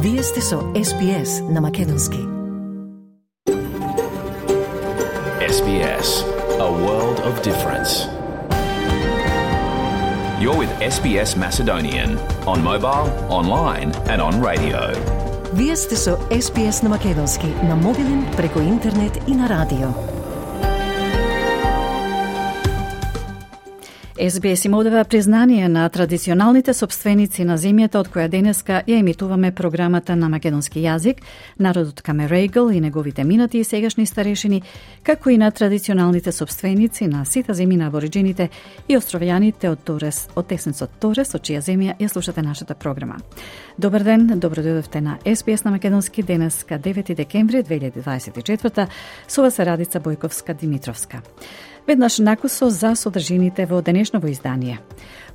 Вие сте со SBS на Македонски. SBS, a world of difference. You're with SBS Macedonian on mobile, online and on radio. Вие сте со SBS на Македонски на мобилен, преку интернет и на радио. SBS им одава признание на традиционалните собственици на земјата од која денеска ја емитуваме програмата на македонски јазик, народот Камерейгл и неговите минати и сегашни старешини, како и на традиционалните собственици на сите земји на абориджините и островјаните од Торес, од тесницот Торес, од чија земја ја слушате нашата програма. Добар ден, добро дојдовте на SBS на македонски денеска 9 декември 2024 со вас е Радица Бојковска-Димитровска. Веднаш накусо за содржините во денешново издание.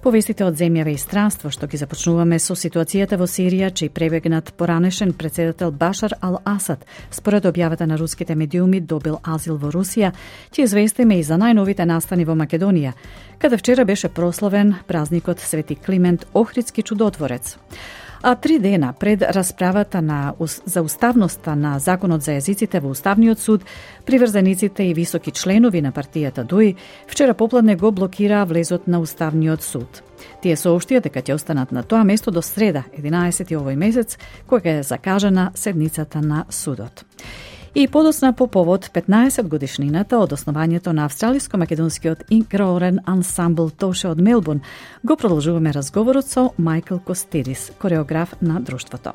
Повестите од земјава и странство што ги започнуваме со ситуацијата во Сирија, чиј пребегнат поранешен председател Башар ал-Асад, според објавата на руските медиуми, добил азил во Русија, ќе известиме и за најновите настани во Македонија, каде вчера беше прославен празникот Свети Климент Охридски чудотворец. А 3 дена пред расправата за уставноста на Законот за јазиците во Уставниот суд, приврзениците и високи членови на партијата ДУИ вчера попладне го блокираа влезот на Уставниот суд. Тие соопштија дека ќе останат на тоа место до среда, 11 овој месец, кога е закажана седницата на судот. И подосна по повод 15 годишнината од основањето на австралиско-македонскиот инкроорен ансамбл Тоше од Мелбурн, го продолжуваме разговорот со Майкл Костидис, кореограф на друштвото.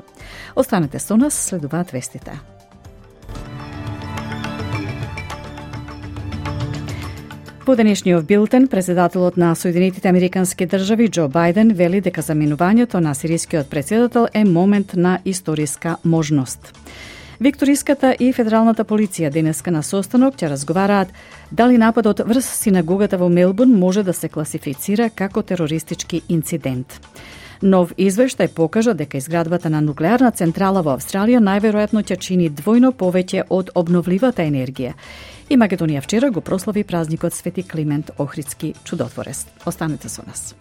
Останете со нас, следуваат вестите. По денешниот билтен, председателот на Соединетите Американски држави Џо Бајден вели дека заменувањето на сирискиот председател е момент на историска можност. Викториската и федералната полиција денеска на состанок ќе разговараат дали нападот врз синагогата во Мелбурн може да се класифицира како терористички инцидент. Нов извештај покажа дека изградбата на нуклеарна централа во Австралија најверојатно ќе чини двојно повеќе од обновливата енергија. И Македонија вчера го прослави празникот Свети Климент Охридски чудотворец. Останете со нас.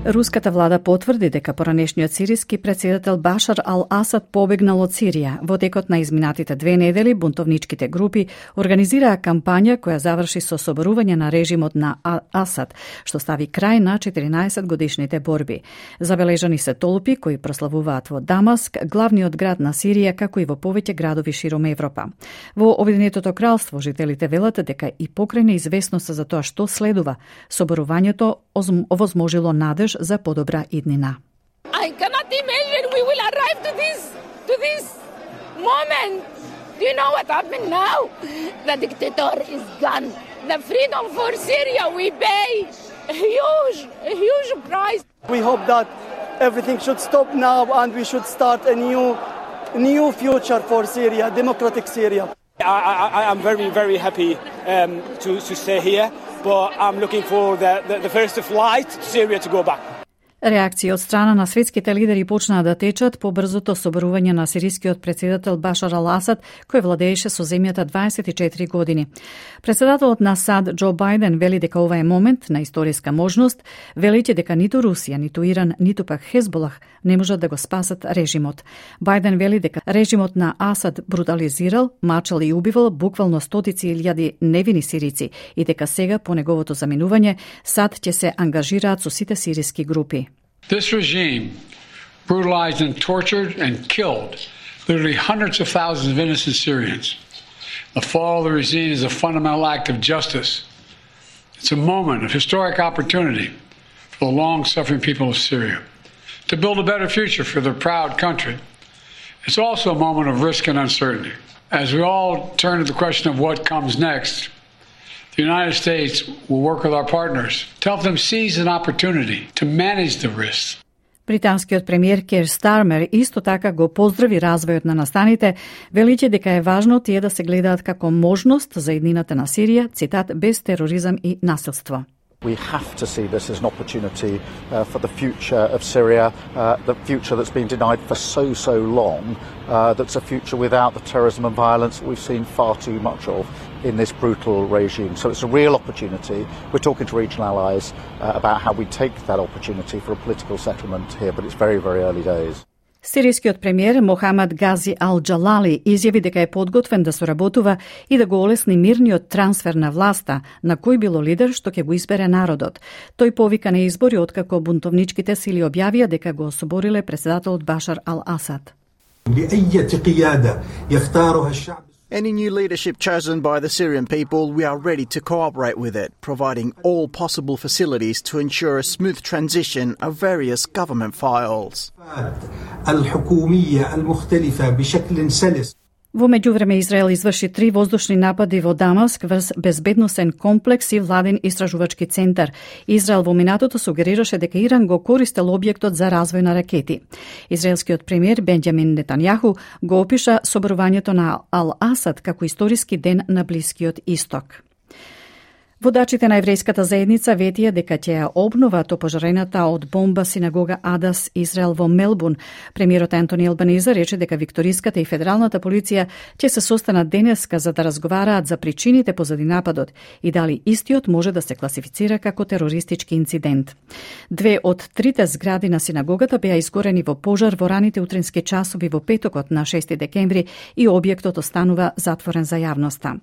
Руската влада потврди дека поранешниот сириски председател Башар ал-Асад побегнал од Сирија. Во текот на изминатите 2 недели бунтовничките групи организираа кампања која заврши со соборување на режимот на Асад, што стави крај на 14 годишните борби. Забележани се толпи кои прославуваат во Дамаск, главниот град на Сирија, како и во повеќе градови широм Европа. Во Обединетото кралство жителите велат дека и покрај неизвестноста за тоа што следува, соборувањето овозможило надеж за подобра иднина. I cannot imagine we will arrive to this moment. Do you know what happened now? The dictator is gone. The freedom for Syria we pay a huge price. We hope that everything should stop now and we should start a new future for Syria, democratic Syria. I am very happy to stay here, but I'm looking for the first flight to Syria to go back. Реакции од страна на светските лидери почнаа да течат по брзото соборување на сирискиот председател Башар ал-Асад, кој владееше со земјата 24 години. Председателот на САД Џо Бајден вели дека ова е момент на историска можност, велејќи дека ниту Русија, ниту Иран, ниту пак Хезболах не можат да го спасат режимот. Бајден вели дека режимот на Асад брутализирал, мачал и убивал буквално стотици илјади невини сирици и дека сега по неговото заминување САД ќе се ангажираат со сите сириски групи. This regime brutalized and tortured and killed literally hundreds of thousands of innocent Syrians. The fall of the regime is a fundamental act of justice. It's a moment of historic opportunity for the long-suffering people of Syria to build a better future for their proud country. It's also a moment of risk and uncertainty. As we all turn to the question of what comes next, the United States will work with our partners to help them seize an opportunity to manage the risks. Британскиот премиер Кер Стармер исто така го поздрави развојот на настаните, велиќе дека е важно тие да се гледаат како можност за иднината на Сирија, цитат, без тероризам и насилство. We have to see this as an opportunity for the future of Syria, the future that's been denied for so long, that's a future without the terrorism and violence that we've seen far too much of. in this brutal regime. So it's a real opportunity. We're talking to regional allies about how we take that opportunity for a political settlement here, but it's very, very early days. Сирискиот премиер Мохамад Гази Ал-Джалали изјави дека е подготвен да соработува и да го олесни мирниот трансфер на власта на кој било лидер што ќе го избере народот. Тој повика на избори откако бунтовничките сили објавија дека го особориле председателот Башар Ал-Асад. Any new leadership chosen by the Syrian people, we are ready to cooperate with it, providing all possible facilities to ensure a smooth transition of various government files. Во меѓувреме Израел изврши 3 воздушни напади во Дамаск врз безбедносен комплекс и владен истражувачки центар. Израел во минатото сугерираше дека Иран го користел објектот за развој на ракети. Израелскиот премиер Бенџамин Нетањаху го опиша соборувањето на Ал-Асад како историски ден на Блискиот Исток. Водачите на еврејската заедница ветија дека ќе ја обноват опожарената од бомба синагога Адас Израел во Мелбурн. Премиерот Антони Албаниза рече дека викториската и федералната полиција ќе се состанат денеска за да разговараат за причините позади нападот и дали истиот може да се класифицира како терористички инцидент. 2 од 3 згради на синагогата беа изгорени во пожар во раните утрински часови во петокот на 6 декември и објектот останува затворен за јавноста.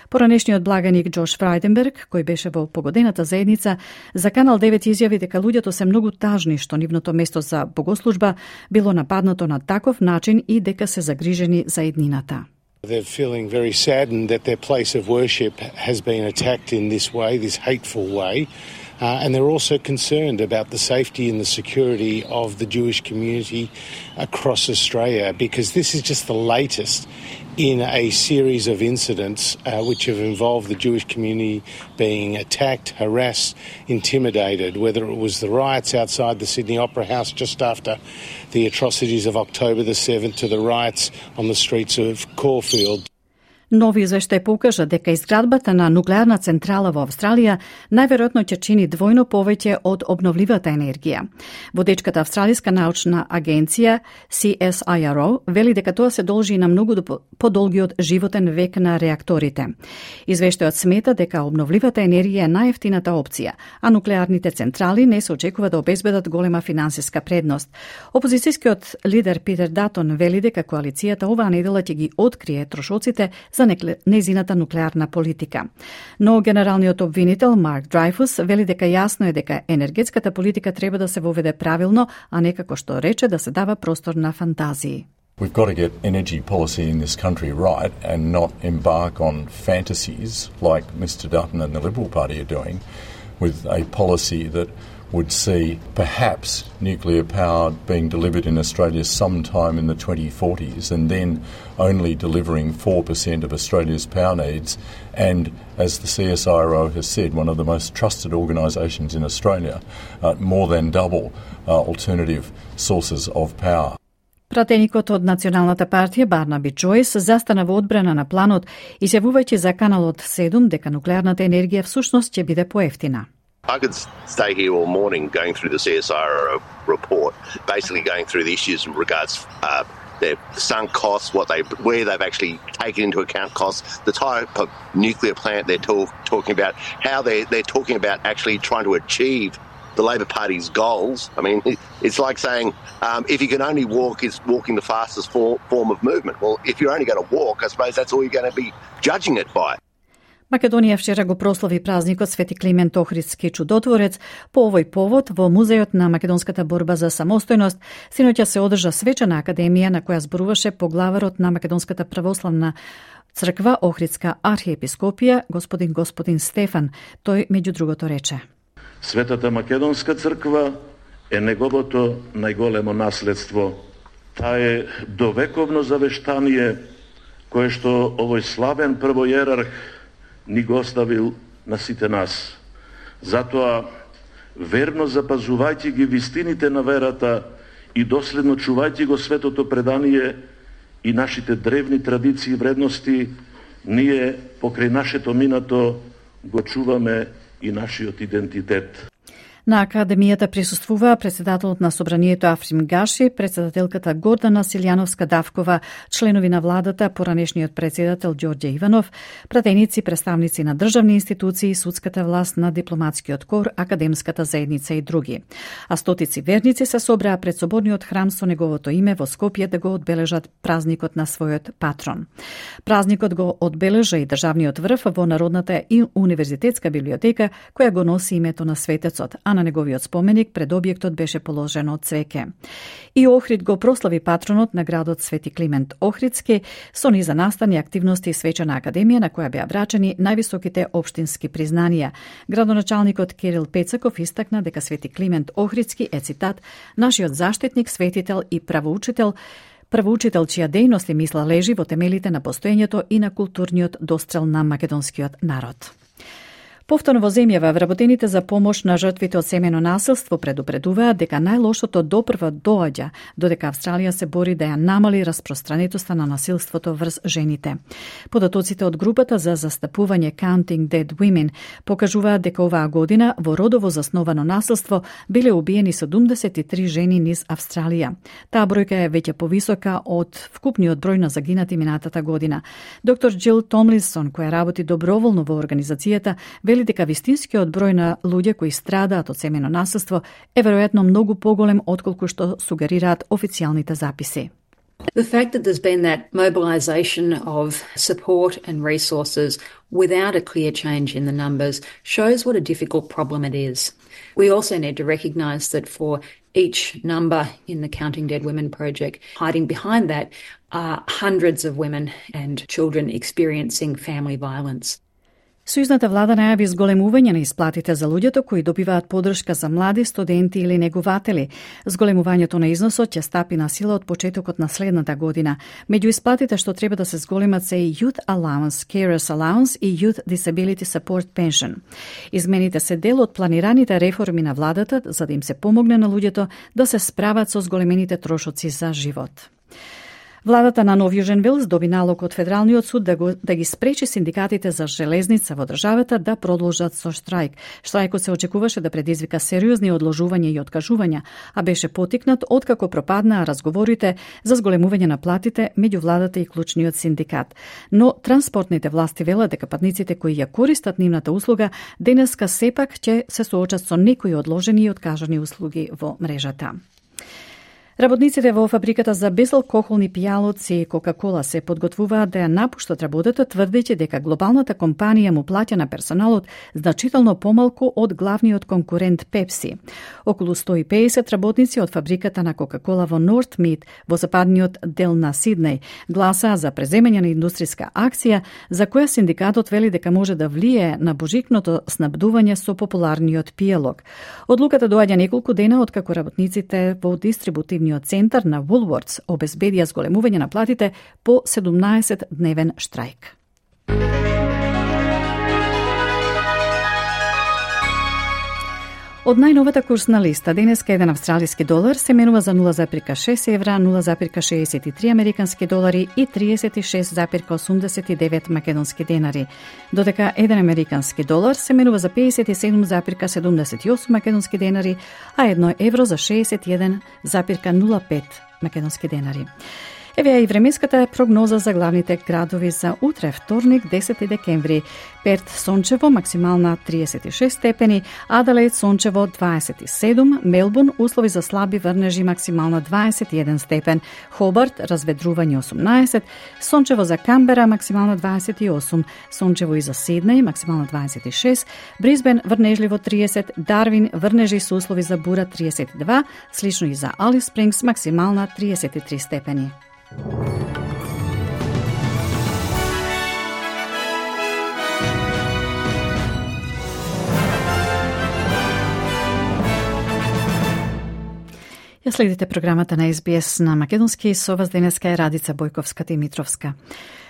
Поранешниот благаник Джош Фрајденберг, кој беше во погодената заедница, за Канал 9 изјави дека луѓето се многу тажни што нивното место за богослужба било нападнато на таков начин и дека се загрижени за еднината. They're feeling very saddened that their place of worship has been attacked in this way, this hateful way. And they're also concerned about the safety and the security of the Jewish community across Australia, because this is just the latest in a series of incidents which have involved the Jewish community being attacked, harassed, intimidated, whether it was the riots outside the Sydney Opera House just after the atrocities of October the 7th to the riots on the streets of Caulfield. Нови извештај покажа дека изградбата на нуклеарна централа во Австралија најверојатно ќе чини двојно повеќе од обновливата енергија. Водечката австралиска научна агенција CSIRO вели дека тоа се должи на многу подолгиот животен век на реакторите. Извештајот смета дека обновливата енергија е најевтината опција, а нуклеарните централи не се очекува да обезбедат голема финансиска предност. Опозицијскиот лидер Питер Датон вели дека коалицијата оваа недела ќе ги открие трошоците за незината нуклеарна политика. Но генералниот обвинител Марк Драйфус вели дека јасно е дека енергетската политика треба да се воведе правилно, а не како што рече да се дава простор на фантазии. We've got to get energy policy in this country right and not embark on fantasies like Mr Dutton and the Liberal Party are doing with a policy that would see perhaps nuclear power being delivered in Australia sometime in the 2040s and then only delivering 4% of Australia's power needs, and as the CSIRO has said, one of the most trusted organisations in Australia, more than double alternative sources of power. Пратеникот од Националната партија Барнаби Джојс застана во одбрана на планот, изјавувајќи за Каналот 7 дека нуклеарната енергија всушност ќе биде поевтина. I could stay here all morning going through the CSIRO report, basically going through the issues in regards their sunk costs, where they've actually taken into account costs, the type of nuclear plant they're talking about, how they're talking about actually trying to achieve the Labor Party's goals. I mean, it's like saying if you can only walk, is walking the fastest form of movement. Well, if you're only going to walk, I suppose that's all you're going to be judging it by. Македонија вчера го прослави празникот Свети Климент Охридски чудотворец. По овој повод во Музејот на македонската борба за самостојност синоќа се одржа свечена академија на која зборуваше поглаварот на Македонската православна црква Охридска архиепископија господин Стефан. Тој меѓу другото рече: Светата Македонска црква е неговото најголемо наследство. Таа е довековно завештание кое што овој славен првојерарх ни го оставил на сите нас. Затоа, верно запазувајќи ги вистините на верата и доследно чувајќи го светото предание и нашите древни традиции и вредности, ние покрај нашето минато го чуваме и нашиот идентитет. На Академијата присуствува председателот на Собранието Африм Гаши, председателката Гордана Силјановска-Давкова, членови на владата, поранешниот председател Ѓорѓе Иванов, пратеници, представници на државни институции, судската власт, на дипломатскиот кор, академската заедница и други. А стотици верници се собраа пред соборниот храм со неговото име во Скопје да го одбележат празникот на својот патрон. Празникот го одбележа и државниот врв во Народната и универзитетска библиотека, која го носи името на светецот, а на неговиот споменик пред објектот беше положено цвеќе. И Охрид го прослави патронот на градот Свети Климент Охридски со низа настани активности и свечена академија на која беа врачени највисоките општински признанија. Градоначалникот Кирил Пецаков истакна дека Свети Климент Охридски е, цитат, нашиот заштитник, светител и правоучител, чија дејност и мисла лежи во темелите на постоењето и на културниот дострел на македонскиот народ. Повторно во земјава, вработените за помош на жртвите од семено насилство предупредуваат дека најлошото допрва доаѓа, додека Австралија се бори да ја намали распространетоста на насилството врз жените. Податоците од групата за застапување Counting Dead Women покажуваат дека оваа година во родово засновано насилство биле убиени 73 жени низ Австралија. Таа бројка е веќе повисока од вкупниот број на загинати минатата година. Доктор Џил Томлинсон, која работи доброволно во организацијата, вели дека вистинскиот број на луѓе кои страдаат од семено насилство е веројатно многу поголем отколку што сугерираат официјалните записи. The fact that there's been that mobilisation of support and resources without a clear change in the numbers shows what a difficult problem it is. We also need to recognise that for each number in the Counting Dead Women project, hiding behind that are hundreds of women and children experiencing family violence. Сојузната влада најави зголемување на исплатите за луѓето кои добиваат подршка за млади, студенти или негователи. Зголемувањето на износот ќе стапи на сила од почетокот на следната година. Меѓу исплатите што треба да се зголемат се и Youth Allowance, Carers Allowance и Youth Disability Support Pension. Измените се дел од планираните реформи на владата за да им се помогне на луѓето да се справат со зголемените трошоци за живот. Владата на Нов Јужен Велс доби налог од Федералниот суд да ги спречи синдикатите за железница во државата да продолжат со штрајк. Штрајкот се очекуваше да предизвика сериозни одложувања и откажувања, а беше потикнат откако пропаднаа разговорите за зголемување на платите меѓу владата и клучниот синдикат. Но транспортните власти велат дека патниците кои ја користат нивната услуга денеска сепак ќе се соочат со некои одложени и откажани услуги во мрежата. Работниците во фабриката за безалкохолни пијалоци Кока-Кола се подготвуваат да ја напуштат работата, тврдејќи дека глобалната компанија му плаќа на персоналот значително помалку од главниот конкурент Пепси. Околу 150 работници од фабриката на Кока-Кола во Нортмид, во западниот дел на Сиднеј, гласаа за преземање на индустријска акција, за која синдикатот вели дека може да влијае на божикното снабдување со популарниот пијалок. Одлуката доаѓа неколку дена откако работниците во дистрибутивниот центар на Woolworths обезбедија зголемување на платите по 17-дневен штрајк. Од најновата курсна листа, денеска еден австралиски долар се менува за 0,6 евра, 0,63 американски долари и 36,89 македонски денари, додека еден американски долар се менува за 57,78 македонски денари, а едно евро за 61,05 македонски денари. Еве и временската прогноза за главните градови за утре, вторник, 10 декември. Перт сончево, максимална 36 степени, Аделаид сончево 27, Мелбурн услови за слаби врнежи, максимална 21 степен, Хобарт разведрување 18, сончево за Камбера, максимална 28, сончево и за Сиднеј, максимална 26, Брисбен врнежливо 30, Дарвин врнежи со услови за бура 32, слично и за Алис Спрингс, максимална 33 степени. Ја следите програмата на SBS на македонски, со вас денеска е Радица Бојковска-Димитровска.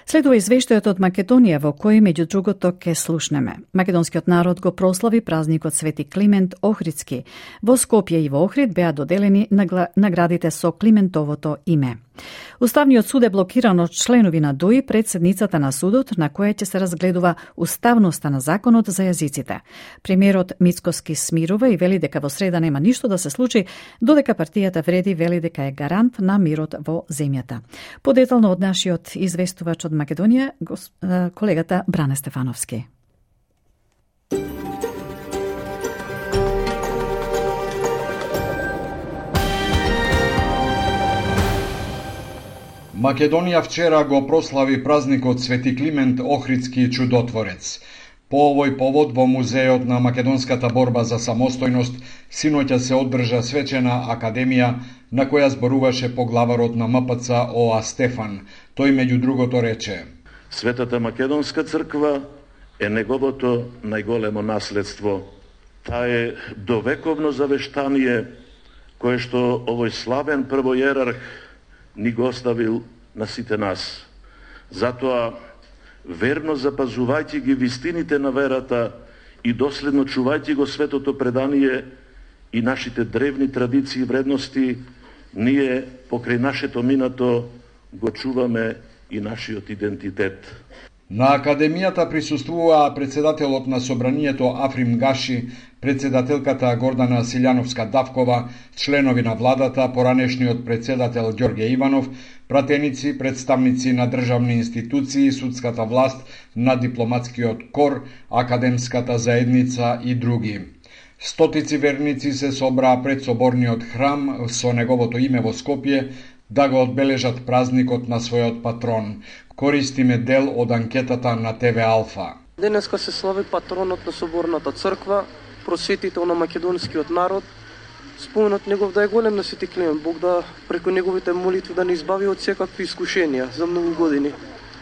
Следува извештајот од Македонија во кој меѓу другото ке слушнеме. Македонскиот народ го прослави празникот Свети Климент Охридски. Во Скопје и во Охрид беа доделени наградите со Климентовото име. Уставниот суд е блокиран од членови на ДУИ пред седницата на судот на која ќе се разгледува уставноста на законот за јазиците. Премиерот Мицкоски смирува и вели дека во среда нема ништо да се случи, додека партијата Вреди вели дека е гарант на мирот во земјата. Подетално од нашиот известувач од Македонија, колегата Бране Стефановски. Македонија вчера го прослави празникот Свети Климент Охридски чудотворец. По овој повод во Музејот на македонската борба за самостојност синоќа се одржа свечена академија на која зборуваше поглаварот на МПЦ ОА Стефан. Тој меѓу другото рече: Светата Македонска црква е неговото најголемо наследство. Таа е довековно завештание кое што овој славен првојерарх ни го оставил на сите нас. Затоа, верно запазувајќи ги вистините на верата и доследно чувајќи го светото предание и нашите древни традиции и вредности, ние покрај нашето минато го чуваме и нашиот идентитет. На академијата присуствуваа председателот на собранието Африм Гаши, председателката Гордана Силјановска-Давкова, членови на владата, поранешниот председател Ѓорѓе Иванов, пратеници, представници на државни институции, судската власт, на дипломатскиот кор, академската заедница и други. Стотици верници се собраа пред соборниот храм со неговото име во Скопје да го одбележат празникот на својот патрон. Користиме дел од анкетата на ТВ Алфа. Денеска се слави патронот на Соборната црква, просветител на македонскиот народ. Споменот негов да е голем на Свети Климент, Бог да преку неговите молитви да не избави од секакви искушенија за многу години.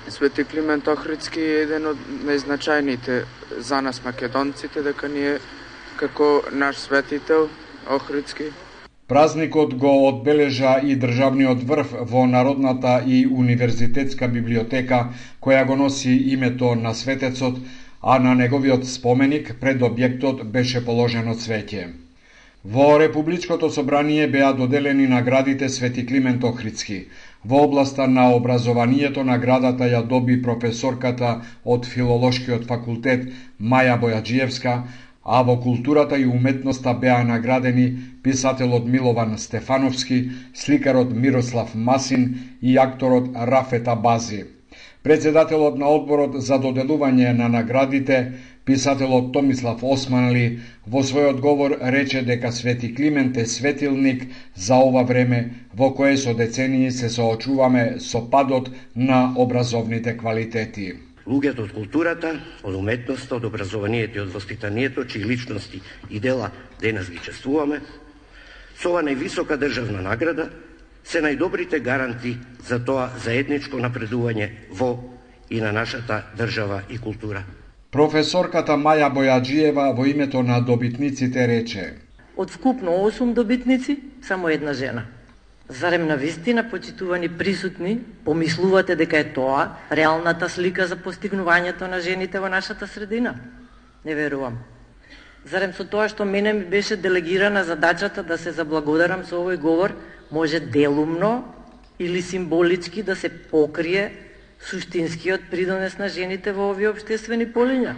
Свети Климент Охридски е еден од најзначајните за нас македонците, дека ние како наш светител Охридски. Празникот го одбележа и државниот врв во Народната и универзитетска библиотека, која го носи името на светецот, а на неговиот споменик пред објектот беше положено цвеќе. Во Републичкото собрание беа доделени наградите Свети Климент Охридски. Во областа на образованието наградата ја доби професорката од Филолошкиот факултет Маја Бојаджиевска, а во културата и уметноста беа наградени писателот Милован Стефановски, сликарот Мирослав Масин и акторот Рафет Абази. Председателот на одборот за доделување на наградите, писателот Томислав Османли, во својот говор рече дека Свети Климент е светилник за ова време во кое со децении се соочуваме со падот на образовните квалитети. Луѓето од културата, од уметноста, од образованието и од воспитанието, чии личности и дела денес ги чествуваме, со ова највисока државна награда се најдобрите гаранти за тоа заедничко напредување во и на нашата држава и култура. Професорката Маја Бојаджиева во името на добитниците рече: Од вкупно 8 добитници, само една жена. Зарем на вистина, почитувани присутни, помислувате дека е тоа реалната слика за постигнувањето на жените во нашата средина? Не верувам. Зарем со тоа што мене ми беше делегирана задачата да се заблагодарам со овој говор, може делумно или символички да се покрие суштинскиот придонес на жените во овие општествени полиња?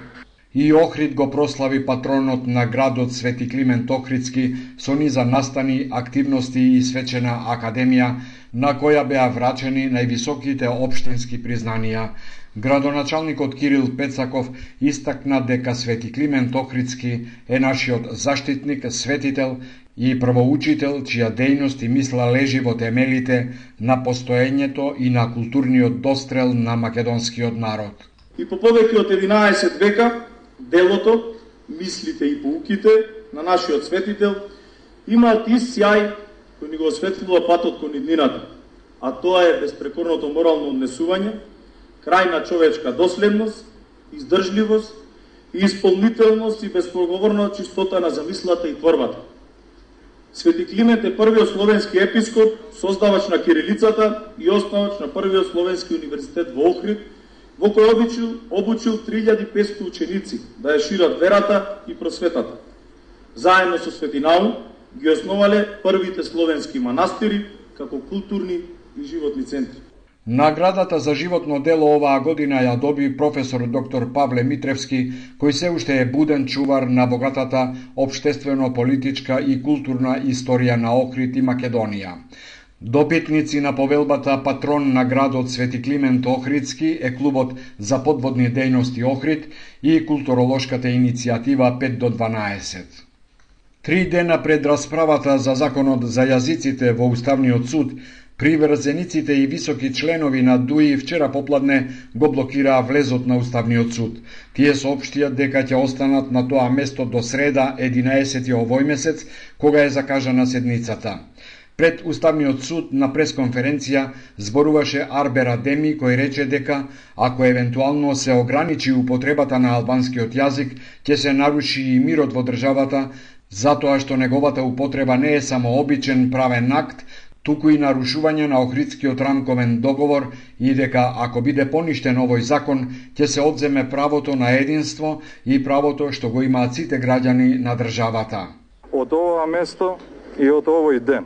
И Охрид го прослави патронот на градот Свети Климент Охридски со низа настани, активности и свечена академија, на која беа врачени највисоките општински признанија. Градоначалникот Кирил Пецаков истакна дека Свети Климент Охридски е нашиот заштитник, светител и првоучител, чија дејност и мисла лежи во темелите на постоењето и на културниот дострел на македонскиот народ. И по повеќе од 11 века, делото, мислите и поуките на нашиот светител имаат ист сјај кој ни го осветлува патот кон иднината, а тоа е безпрекорното морално однесување, крајна човечка доследност, издржливост и исполнителност и безпоговорна чистота на замислата и творбата. Свети Климент е првиот словенски епископ, создавач на кирилицата и основач на првиот словенски универзитет во Охрид, во кој обучил 3500 ученици да ја шират верата и просветата. Заедно со Свети Наум ги основале првите словенски манастири како културни и животни центри. Наградата за животно дело оваа година ја доби професор доктор Павле Митревски, кој се уште е буден чувар на богатата општествено-политичка и културна историја на Охрид и Македонија. Добитници на повелбата патрон на градот Свети Климент Охридски е клубот за подводни дејности Охрид и културолошката иницијатива 5 до 12. 3 дена пред расправата за законот за јазиците во Уставниот суд, приврзениците и високи членови на ДУИ вчера попладне го блокираа влезот на Уставниот суд. Тие соопштија дека ќе останат на тоа место до среда 11 овој месец, кога е закажана седницата. Пред Уставниот суд на пресконференција зборуваше Арбер Адеми, кој рече дека ако евентуално се ограничи употребата на албанскиот јазик, ќе се наруши и мирот во државата, затоа што неговата употреба не е само обичен правен акт, туку и нарушување на Охридскиот рамковен договор и дека ако биде поништен овој закон, ќе се одземе правото на единство и правото што го имаат сите граѓани на државата. Од ова место и од овој ден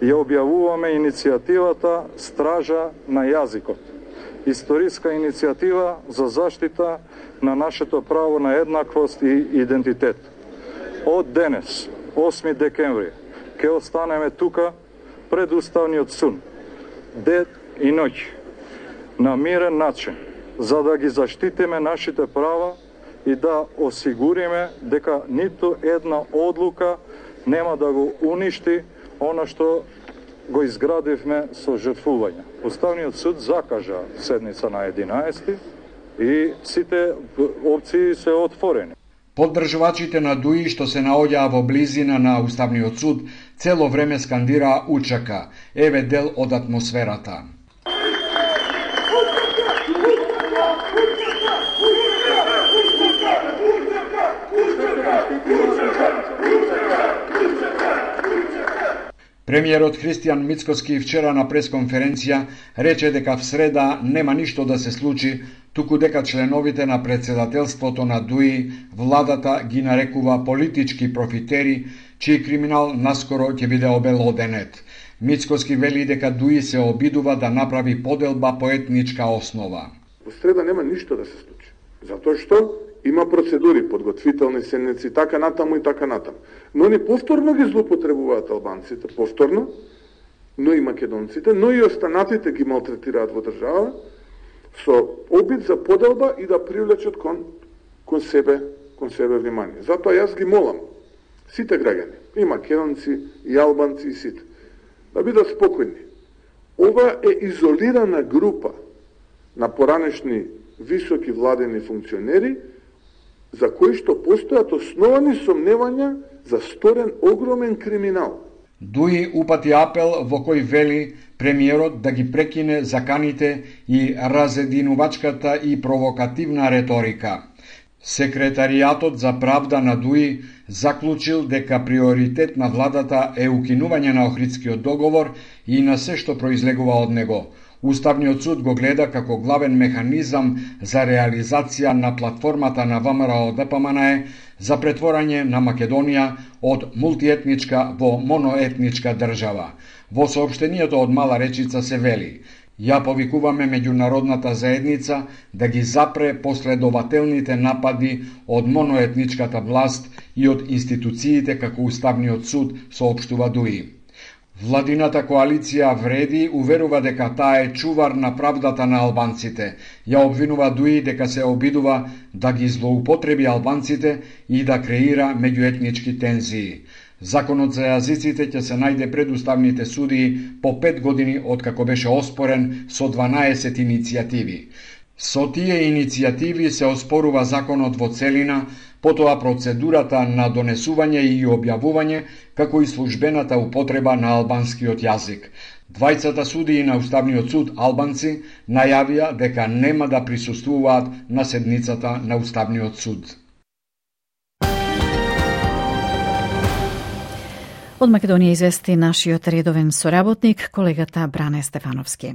ја објавуваме иницијативата Стража на јазикот. Историска иницијатива за заштита на нашето право на еднаквост и идентитет. Од денес, 8 декември, ќе останеме тука пред Уставниот суд, ден и ноќ, на мирен начин, за да ги заштитиме нашите права и да осигуриме дека ниту една одлука нема да го уништи она што го изградивме со жртвување. Уставниот суд закажа седница на 11 и сите опции се отворени. Поддржувачите на ДУИ што се наоѓаа во близина на Уставниот суд цело време скандираа учака. Еве дел од атмосферата. Премиерот Христијан Мицкоски вчера на пресконференција рече дека в среда нема ништо да се случи, туку дека членовите на председателството на ДУИ владата ги нарекува политички профитери, чиј криминал наскоро ќе биде обелоденет. Мицкоски вели дека ДУИ се обидува да направи поделба по етничка основа. Во среда нема ништо да се случи, затоа што има процедури, подготвителни седници, така натаму и така натаму. Но они повторно ги злоупотребуваат албанците, повторно, но и македонците, но и останатите ги малтретираат во држава, со обид за поделба и да привлечат кон себе внимание. Затоа јас ги молам сите граѓани, и македонци, и албанци, и сите, да бидат спокојни. Ова е изолирана група на поранешни високи владени функционери, за кои што постојат основани сомневања за сторен огромен криминал. ДУИ упати апел во кој вели премиерот да ги прекине заканите и разединувачката и провокативна реторика. Секретаријатот за правда на ДУИ заклучил дека приоритет на владата е укинување на Охридскиот договор и на се што произлегува од него. Уставниот суд го гледа како главен механизам за реализација на платформата на ВМРО ДПМН за претворање на Македонија од мултиетничка во моноетничка држава. Во соопштението од Мала Речица се вели: ја повикуваме меѓународната заедница да ги запре последователните напади од моноетничката власт и од институциите како Уставниот суд, соопштува ДУИ. Владината коалиција Вреди уверува дека таа е чувар на правдата на албанците. Ја обвинува ДУИ дека се обидува да ги злоупотреби албанците и да креира меѓуетнички тензии. Законот за јазиците ќе се најде пред уставните судии по 5 години откако беше оспорен со 12 иницијативи. Со тие иницијативи се оспорува законот во целина, потоа процедурата на донесување и објавување, како и службената употреба на албанскиот јазик. Двајцата судии на Уставниот суд албанци најавија дека нема да присуствуваат на седницата на Уставниот суд. Од Македонија извести нашиот редовен соработник, колегата Бране Стефановски.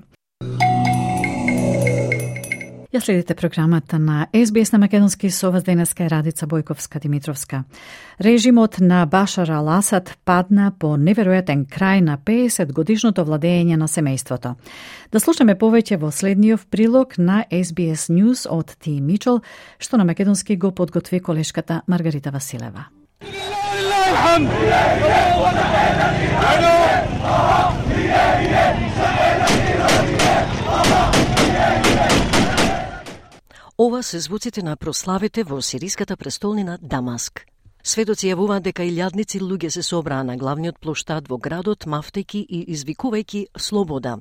Ја следите програмата на СБС на македонски, со вас денеска е Радица Бојковска-Димитровска. Режимот на Башар ал-Асад падна по неверојатен крај на 50 годишното владење на семејството. Да слушаме повеќе во следниот прилог на SBS News од Ти Мичел, што на македонски го подготви колешката Маргарита Василева. Ова се звуците на прославите во сириската престолнина Дамаск. Сведоци јавуваат дека илјадници луѓе се собраа на главниот плоштад во градот, мафтејки и извикувајќи слобода.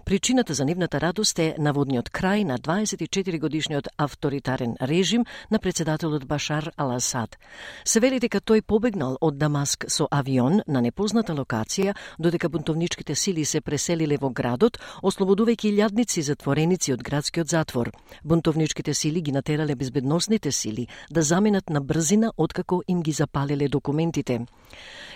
Причината за нивната радост е наводниот крај на 24-годишниот авторитарен режим на председателот Башар ал-Асад. Се вели дека тој побегнал од Дамаск со авион на непозната локација, додека бунтовничките сили се преселиле во градот, ослободувајќи илјадници затвореници од градскиот затвор. Бунтовничките сили ги натерале безбедносните сили да заменат на брзина откако им ги запалиле документите.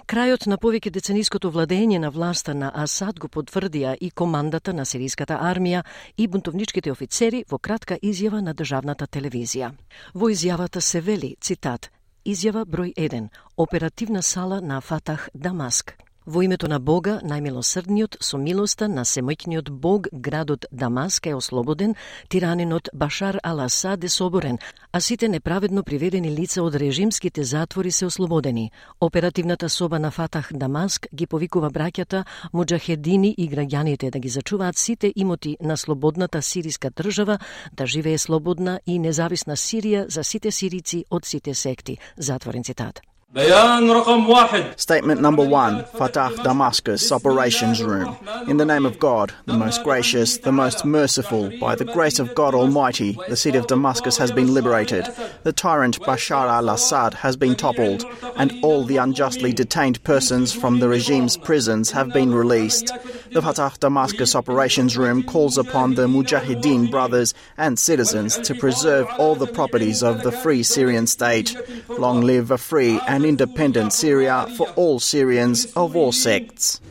Крајот на повеќе децениското владење на власта на Асад го потврдија и командата на сириската армија и бунтовничките офицери во кратка изјава на државната телевизија. Во изјавата се вели, цитат, изјава број 1, оперативна сала на Фатах Дамаск. Во името на Бога, најмилосрдниот, со милоста на семојкниот Бог, градот Дамаск е ослободен, тиранинот Башар ал-Асад е соборен, а сите неправедно приведени лица од режимските затвори се ослободени. Оперативната соба на Фатах Дамаск ги повикува браќата, муџахедини и граѓаните да ги зачуваат сите имоти на слободната сириска држава, да живее слободна и независна Сирија за сите сирици од сите секти. Затворен цитат. Statement number 1, Fatah Damascus Operations Room. In the name of God, the most gracious, the most merciful, by the grace of God Almighty, the city of Damascus has been liberated. The tyrant Bashar al-Assad has been toppled, and all the unjustly detained persons from the regime's prisons have been released. The Fatah Damascus Operations Room calls upon the Mujahideen brothers and citizens to preserve all the properties of the free Syrian state. Long live a free and independent Syria for all Syrians of all sects.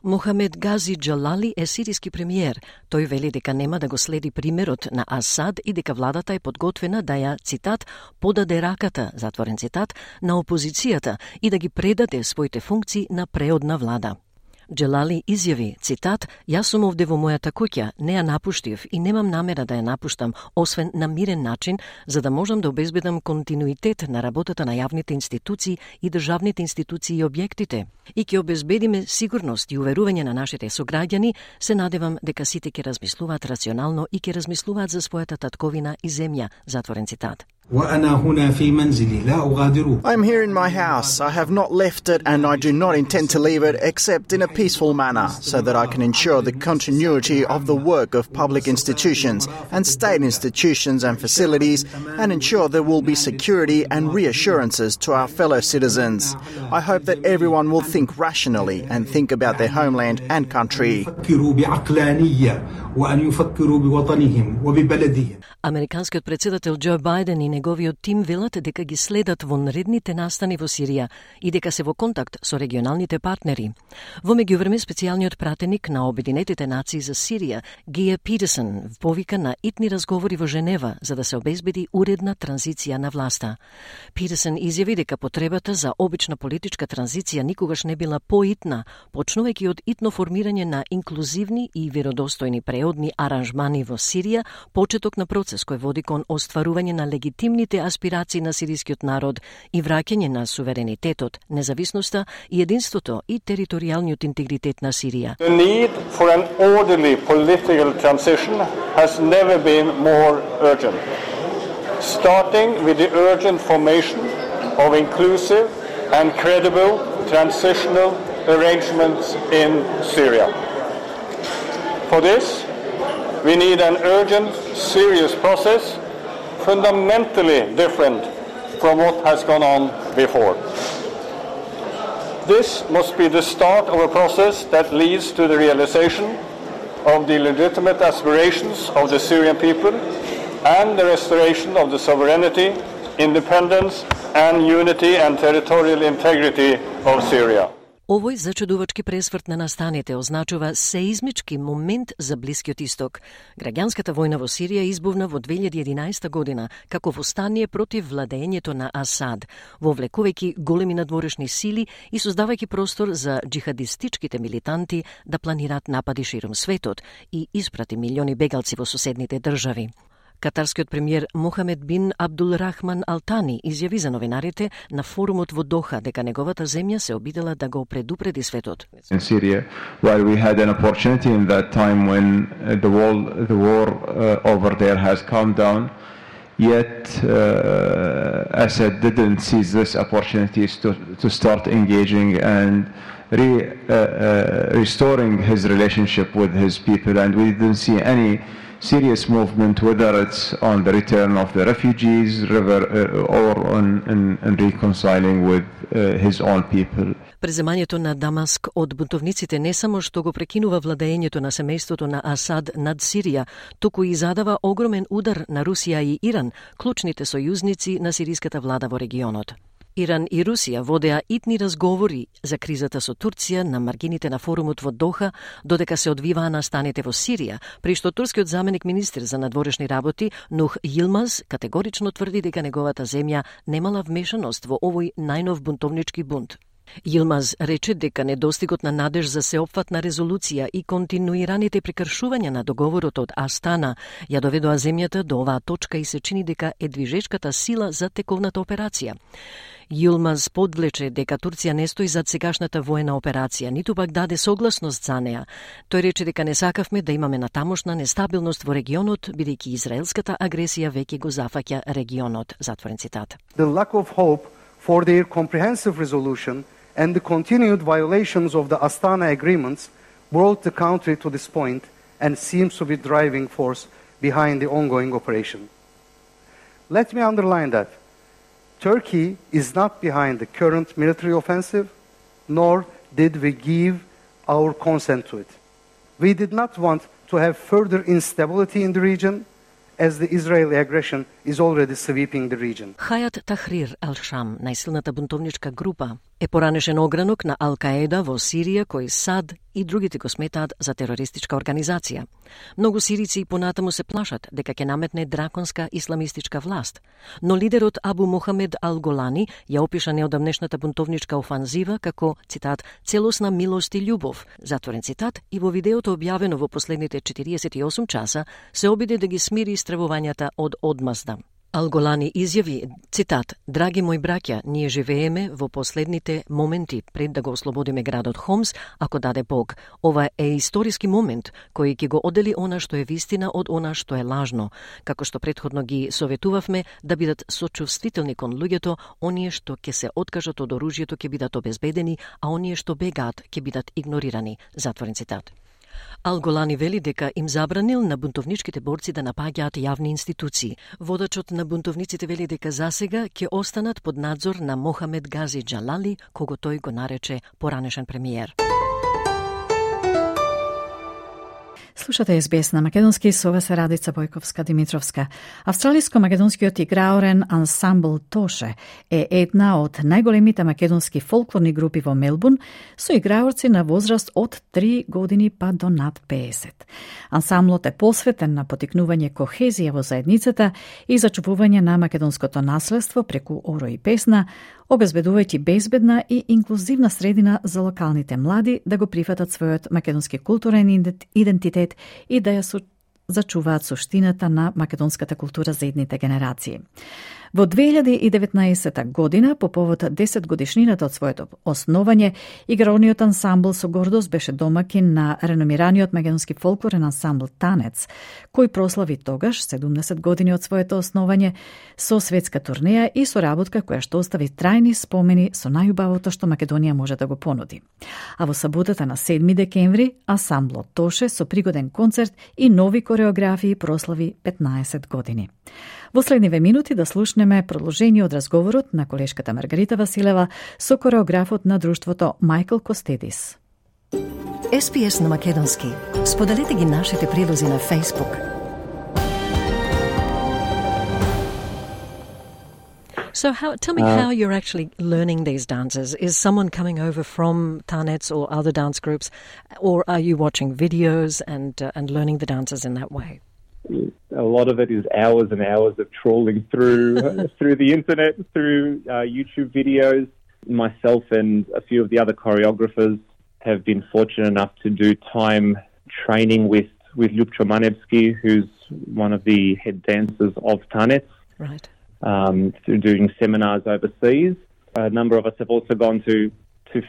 Мохамед Гази Джалали е сириски премиер. Тој вели дека нема да го следи примерот на Асад и дека владата е подготвена да ја, цитат, подаде раката, затворен цитат, на опозицијата и да ги предаде своите функции на преодна влада. Джелали изјави, цитат, јас сум овде во мојата куќа, не ја напуштив и немам намера да ја напуштам, освен на мирен начин, за да можам да обезбедам континуитет на работата на јавните институции и државните институции и објектите. И ќе обезбедиме сигурност и уверување на нашите сограѓани, се надевам дека сите ќе размислуваат рационално и ќе размислуваат за својата татковина и земја, затворен цитат. I'm here in my house. I have not left it and I do not intend to leave it except in a peaceful manner so that I can ensure the continuity of the work of public institutions and state institutions and facilities and ensure there will be security and reassurances to our fellow citizens. I hope that everyone will think rationally and think about their homeland and country. Американскиот председател Џо Бајден и неговиот тим велат дека ги следат вонредните настани во Сирија и дека се во контакт со регионалните партнери. Во меѓувреме, специјалниот пратеник на Обединетите нации за Сирија, Геа Питерсон, повика на итни разговори во Женева за да се обезбеди уредна транзиција на власта. Питерсон изјави дека потребата за обична политичка транзиција никогаш не била поитна, почнувајќи од итно формирање на инклузивни и веродостојни преодни аранжмани во Сирија, почеток на процес кој води кон остварување на легитимните аспирации на сирискиот народ и враќање на суверенитетот, независноста и единството и територијалниот интегритет на Сирија. The need for an orderly political transition has never been more urgent. Starting with the urgent formation of inclusive and credible transitional arrangements in Syria. For this, we need an urgent, serious process, fundamentally different from what has gone on before. This must be the start of a process that leads to the realization of the legitimate aspirations of the Syrian people and the restoration of the sovereignty, independence and unity and territorial integrity of Syria. Овој зачудувачки пресврт на настаните означува сеизмички момент за Блискиот Исток. Граѓанската војна во Сирија избувна во 2011 година како востание против владењето на Асад, вовлекувајќи големи надворешни сили и создавајќи простор за джихадистичките милитанти да планираат напади широм светот и испрати милиони бегалци во соседните држави. Катарскиот премиер Мохамед бин Абдул Рахман Ал Тани изјави за новинарите на форумот во Доха дека неговата земја се обидела да го предупреди светот. In Syria, while we had an opportunity in that time when the war over there has calmed down, yet Assad didn't seize this opportunities to start engaging and restoring his relationship with his people, and we didn't see any serious movement, whether it's on the return of the refugees or on reconciling with his own people. Преземањето на Дамаск од бунтовниците не само што го прекинува владењето на семејството на Асад над Сирија, туку и задава огромен удар на Русија и Иран, клучните сојузници на сириската влада во регионот. Иран и Русија водеа итни разговори за кризата со Турција на маргините на форумот во Доха, додека се одвиваа настаните во Сирија, при што турскиот заменик министер за надворешни работи Нух Йилмаз категорично тврди дека неговата земја немала вмешаност во овој најнов бунтовнички бунт. Йилмаз рече дека недостигот на надеж за сеопфатна резолуција и континуираните прекршувања на договорот од Астана ја доведоа земјата до оваа точка и се чини дека е движечката сила за тековната операција. Йилмаз подвлече дека Турција не стои зад сегашната воена операција, ниту пак даде согласност за неа. Тој рече дека не сакавме да имаме натамошна нестабилност во регионот, бидејќи израелската агресија веќе го зафаќа регионот. Затворен цитат. The lack of hope for their comprehensive resolution and the continued violations of the Astana agreements brought the country to this point and seems to be driving force behind the ongoing operation. Let me underline that Turkey is not behind the current military offensive, nor did we give our consent to it. We did not want to have further instability in the region, as the Israeli aggression is already sweeping the region. Хајат Тахрир Ал-Шам, најсилната бунтовничка група, е поранешен огранок на Ал-Каеда во Сирија, кој САД и другите го сметаат за терористичка организација. Многу сирици и понатаму се плашат дека ќе наметне драконска исламистичка власт, но лидерот Абу Мохамед Ал-Голани ја опиша неодамнешната бунтовничка офанзива како, цитат, целосна милост и љубов, затворен цитат, и во видеото објавено во последните 48 часа се обиде да ги смири истребувањата од одмазда. Ал-Голани изјави, цитат, драги мои браќа, ние живееме во последните моменти пред да го ослободиме градот Хомс, ако даде Бог. Ова е историски момент кој ќе го одели она што е вистина од она што е лажно, како што претходно ги советувавме да бидат сочувствителни кон луѓето, оние што ќе се откажат од оружјето ќе бидат обезбедени, а оние што бегаат ќе бидат игнорирани. Затворен цитат. Ал-Голани вели дека им забранил на бунтовничките борци да напаѓаат јавни институции. Водачот на бунтовниците вели дека засега ќе останат под надзор на Мохамед Гази Джалали, кого тој го нарече поранешен премиер. Слушате СБС на македонски, со вас е Радица Бојковска-Димитровска. Австралиско-македонскиот играорен ансамбл Тоше е една од најголемите македонски фолклорни групи во Мелбурн, со играорци на возраст од 3 години па до над 50. Ансамблот е посветен на потикнување кохезија во заедницата и зачувување на македонското наследство преку оро и песна, обезбедувајќи безбедна и инклузивна средина за локалните млади да го прифатат својот македонски културен идентитет и да ја зачуваат суштината на македонската култура за идните генерации. Во 2019 година, по повод 10 годишнината од своето основање, играорниот ансамбл со гордост беше домакин на реномираниот македонски фолклорен ансамбл Танец, кој прослави тогаш 70 години од своето основање со светска турнеја и со работка која што остави трајни спомени со најубавото што Македонија може да го понуди. А во саботата на 7 декември, ансамблот Тоше со пригоден концерт и нови кореографии прослави 15 години. Во следниве минути да слушнеме продолжение од разговорот на колешката Маргарита Василева со кореографот на друштвото Мајкл Костедис. СПС на македонски. Споделете ги нашите прилози на Facebook. So tell me how you're actually learning these dances. Is someone coming over from Tanets or other dance groups, or are you watching videos and learning the dances in that way? A lot of it is hours and hours of trawling through through the internet, through YouTube videos. Myself and a few of the other choreographers have been fortunate enough to do time training with Ljubčo Manevski, who's one of the head dancers of Tanets. Right. Through doing seminars overseas. A number of us have also gone to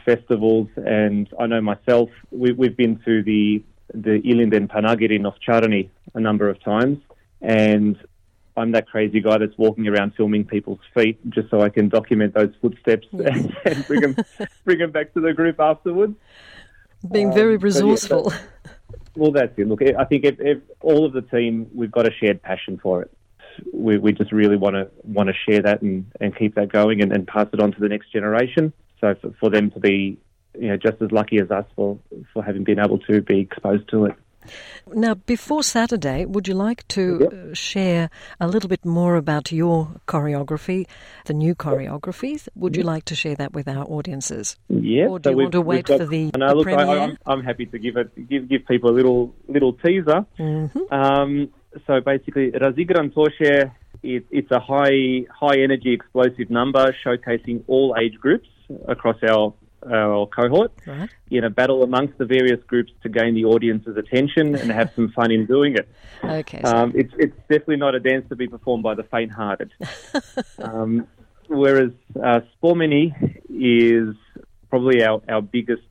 festivals, and I know myself, we've been to the Ilinden Panagiri in Ovčarani a number of times, and I'm that crazy guy that's walking around filming people's feet just so I can document those footsteps and bring them back to the group afterwards. Being very resourceful. Well, that's it. Look, I think if all of the team, we've got a shared passion for it. We just really want to share that and keep that going and pass it on to the next generation. So for them to be, just as lucky as us for having been able to be exposed to it. Now, before Saturday, would you like to share a little bit more about your choreography, the new choreographies? Would you like to share that with our audiences? Yeah. Or do you want to wait for the premiere? I'm happy to give people a little teaser. Mm-hmm. So basically, Razigran Toshe, it's a high energy explosive number showcasing all age groups across our cohort in a battle amongst the various groups to gain the audience's attention and have some fun in doing it. Okay. It's definitely not a dance to be performed by the faint-hearted. Whereas Spomeni is probably our biggest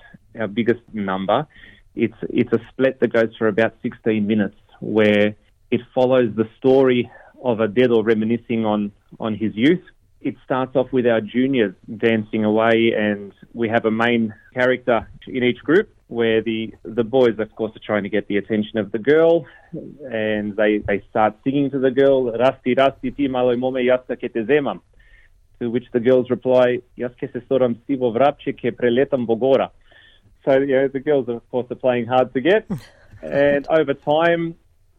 number. It's a split that goes for about 16 minutes, where it follows the story of a Dedo reminiscing on his youth. It starts off with our juniors dancing away, and we have a main character in each group where the boys, of course, are trying to get the attention of the girl, and they start singing to the girl, Rasti, Rasti, ti malo mome, jasta ke te zemam. To which the girls reply, Jas ke se soram sivo vrapče ke preletam bogora. So, the girls, of course, are playing hard to get, and over time,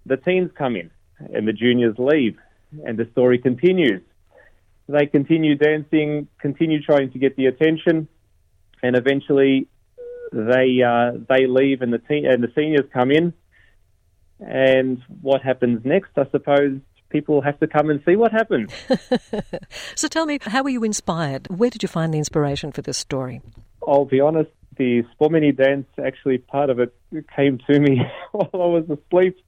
the teens come in and the juniors leave, and the story continues. They continue dancing, continue trying to get the attention, and eventually they leave and the seniors come in. And what happens next? I suppose people have to come and see what happens. So tell me, how were you inspired? Where did you find the inspiration for this story? I'll be honest, the Spomeni dance, actually part of it came to me while I was asleep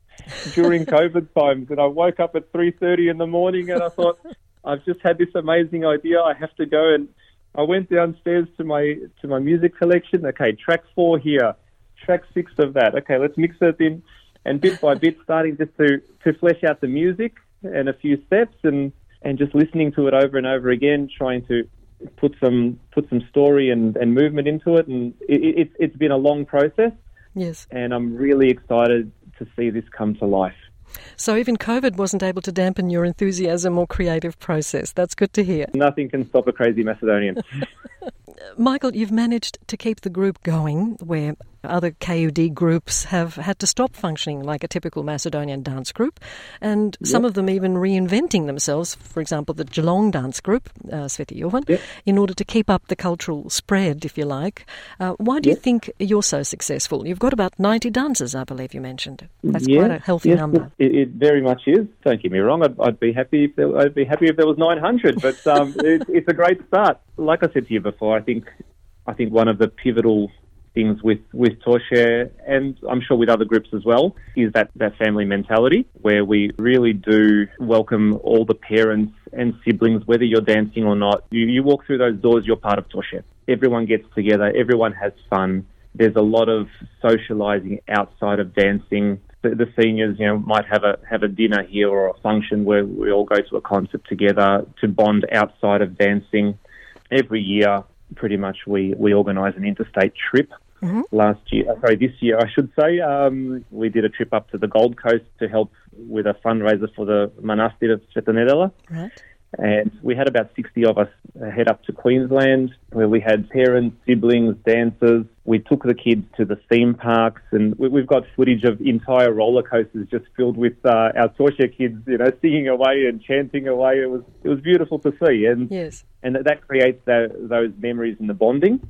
during COVID times, and I woke up at 3:30 in the morning and I thought, I've just had this amazing idea, I have to go, and I went downstairs to my music collection. Okay, track 4 here, track 6 of that. Okay, let's mix it in, and bit by bit starting just to flesh out the music and a few steps and just listening to it over and over again, trying to put some story and movement into it, and it's been a long process. Yes. And I'm really excited to see this come to life. So even COVID wasn't able to dampen your enthusiasm or creative process. That's good to hear. Nothing can stop a crazy Macedonian. Michael, you've managed to keep the group going where other KUD groups have had to stop functioning like a typical Macedonian dance group, and some of them even reinventing themselves, for example, the Geelong dance group, Sveti Jovan, in order to keep up the cultural spread, if you like. Why do you think you're so successful? You've got about 90 dancers, I believe you mentioned. That's quite a healthy number. It very much is. Don't get me wrong. I'd be happy if there was 900, but it's a great start. Like I said to you before, I think one of the pivotal things with Toshe, and I'm sure with other groups as well, is that family mentality where we really do welcome all the parents and siblings, whether you're dancing or not. You walk through those doors, you're part of Toshe. Everyone gets together, everyone has fun. There's a lot of socialising outside of dancing. The seniors, might have a dinner here or a function where we all go to a concert together to bond outside of dancing. Every year, pretty much, we organise an interstate trip. Mm-hmm. This year, I should say, we did a trip up to the Gold Coast to help with a fundraiser for the Manastir of Sveta Nedela. Right. And we had about 60 of us head up to Queensland, where we had parents, siblings, dancers, We took the kids to the theme parks, and we've got footage of entire roller coasters just filled with our Toshe kids, singing away and chanting away. It was beautiful to see, and that creates those memories and the bonding.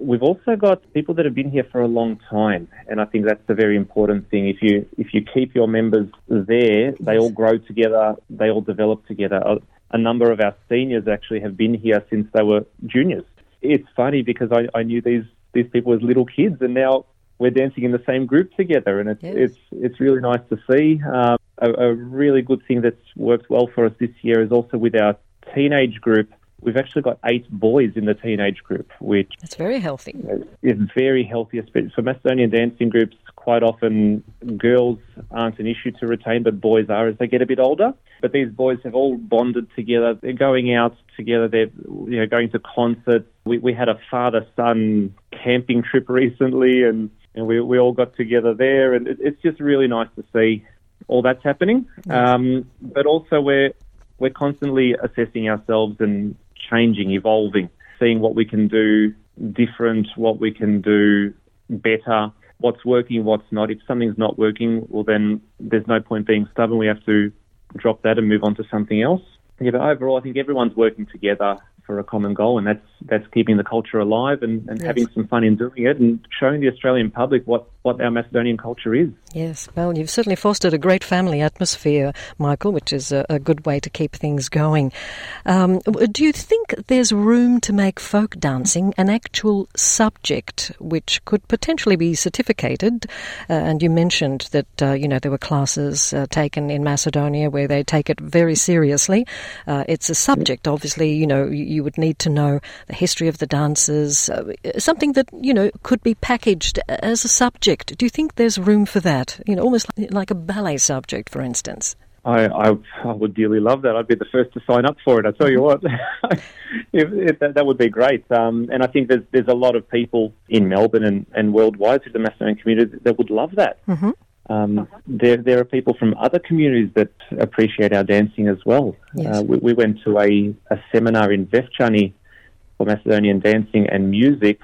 We've also got people that have been here for a long time, and I think that's a very important thing. If you keep your members there, they all grow together, they all develop together. A number of our seniors actually have been here since they were juniors. It's funny because I knew these people as little kids, and now we're dancing in the same group together, and it's really nice to see. A really good thing that's worked well for us this year is also with our teenage group. We've actually got 8 boys in the teenage group, which... That's very healthy. Is very healthy. For Macedonian dancing groups, quite often girls aren't an issue to retain, but boys are as they get a bit older. But these boys have all bonded together. They're going out together. They're going to concerts. We had a father-son camping trip recently, and we all got together there. And it's just really nice to see all that's happening. But also we're constantly assessing ourselves and changing, evolving, seeing what we can do different, what we can do better, what's working, what's not. If something's not working, well, then there's no point being stubborn. We have to drop that and move on to something else. Yeah, but overall, I think everyone's working together for a common goal, and that's keeping the culture alive and having some fun in doing it and showing the Australian public what our Macedonian culture is. Yes, well, you've certainly fostered a great family atmosphere, Michael, which is a good way to keep things going. Do you think there's room to make folk dancing an actual subject which could potentially be certificated? And you mentioned that, there were classes taken in Macedonia where they take it very seriously. It's a subject, obviously, you would need to know the history of the dances, something that, could be packaged as a subject. Do you think there's room for that? Almost like a ballet subject, for instance. I would dearly love that. I'd be the first to sign up for it. I tell you what, that would be great. And I think there's a lot of people in Melbourne and worldwide through the Macedonian community that would love that. Mm-hmm. There are people from other communities that appreciate our dancing as well. Yes. We went to a seminar in Vefčani for Macedonian dancing and music,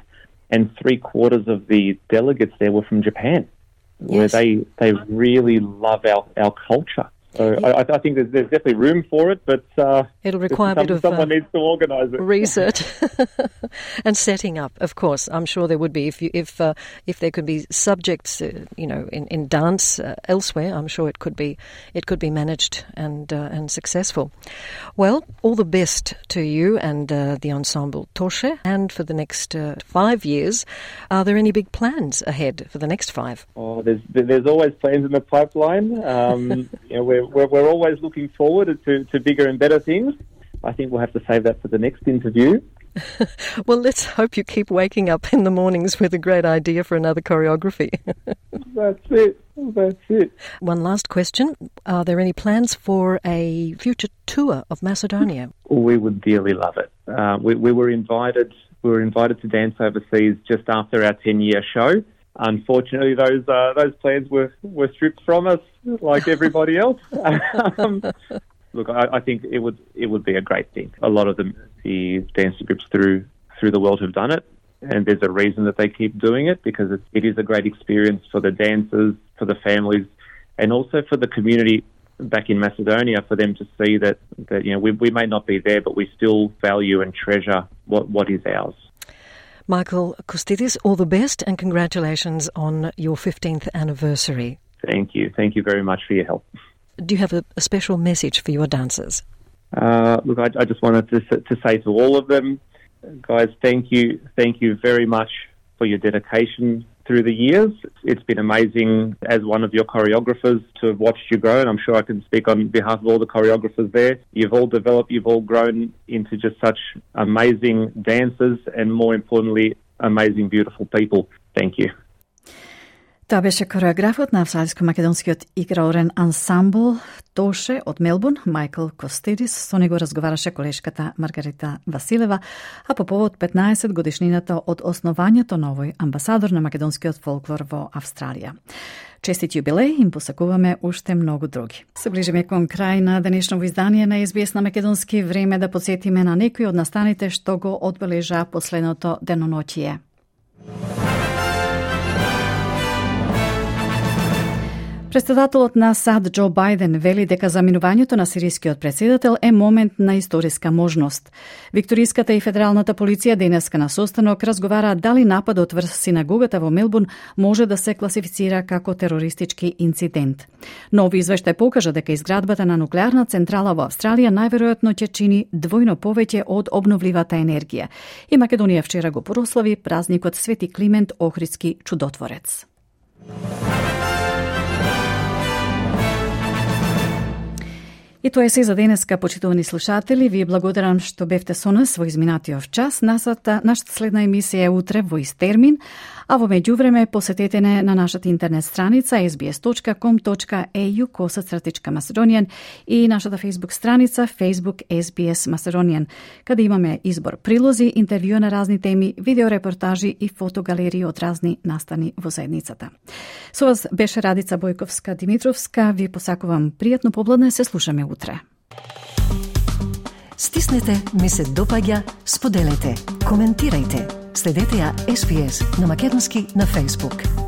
and 3/4 of the delegates there were from Japan, where they really love our culture. So I think there's definitely room for it, but it'll require a bit of someone needs to organise it. Research and setting up. Of course, I'm sure there would be if there could be subjects, in dance elsewhere. I'm sure it could be managed and successful. Well, all the best to you and the ensemble Toshe, and for the next 5 years. Are there any big plans ahead for the next 5? Oh, there's always plans in the pipeline. We're always looking forward to bigger and better things. I think we'll have to save that for the next interview. Well, let's hope you keep waking up in the mornings with a great idea for another choreography. That's it. One last question. Are there any plans for a future tour of Macedonia? We would dearly love it. We were invited to dance overseas just after our 10-year show. Unfortunately, those plans were stripped from us, like everybody else. Look, I think it would be a great thing. A lot of the dancing groups through the world have done it, and there's a reason that they keep doing it, because it is a great experience for the dancers, for the families, and also for the community back in Macedonia, for them to see that we may not be there, but we still value and treasure what is ours. Michael Kostidis, all the best and congratulations on your 15th anniversary. Thank you. Thank you very much for your help. Do you have a special message for your dancers? Look, I just wanted to say to all of them, guys, thank you very much for your dedication through the years. It's been amazing as one of your choreographers to have watched you grow, and I'm sure I can speak on behalf of all the choreographers there. You've all developed, you've all grown into just such amazing dancers and, more importantly, amazing, beautiful people. Thank you. Тоа беше кореографот на австралиско-македонскиот играорен ансамбл Тоше од Мелбурн, Майкл Костидис. Со него разговараше колешката Маргарита Василева, а по повод 15 годишнината од основањето на овој амбасадор на македонскиот фолклор во Австралија. Честит јубилеј им посакуваме уште многу други. Се ближиме кон крај на денешново издание на SBS на македонски. Време да подсетиме на некои од настаните што го одбележа последното деноноќие. Претседателот на САД Џо Бајден вели дека заминувањето на сирискиот претседател е момент на историска можност. Викториската и федералната полиција денеска на состанок разговараат дали нападот врз синагогата во Мелбурн може да се класифицира како терористички инцидент. Нови извештај покажа дека изградбата на нуклеарна централа во Австралија најверојатно ќе чини двојно повеќе од обновливата енергија. И Македонија вчера го прослави празникот Свети Климент Охридски чудотворец. И тоа е се за денеска, почитувани слушатели. Ви благодарам што бевте со нас во изминатиот час. Нашата следна емисија е утре во ист термин, а во меѓувреме посетете не на нашата интернет страница sbs.com.au/Macedonian и нашата Facebook страница Facebook SBS Macedonian, каде имаме избор прилози, интервју на разни теми, видеорепортажи и фотогалерии од разни настани во заедницата. Со вас беше Радица Бојковска-Димитровска. Ви посакувам пријатно попладне, се слушаме утре. Стиснете, ми се допаѓа, споделете, коментирајте. Следете ја SBS на македонски на Facebook.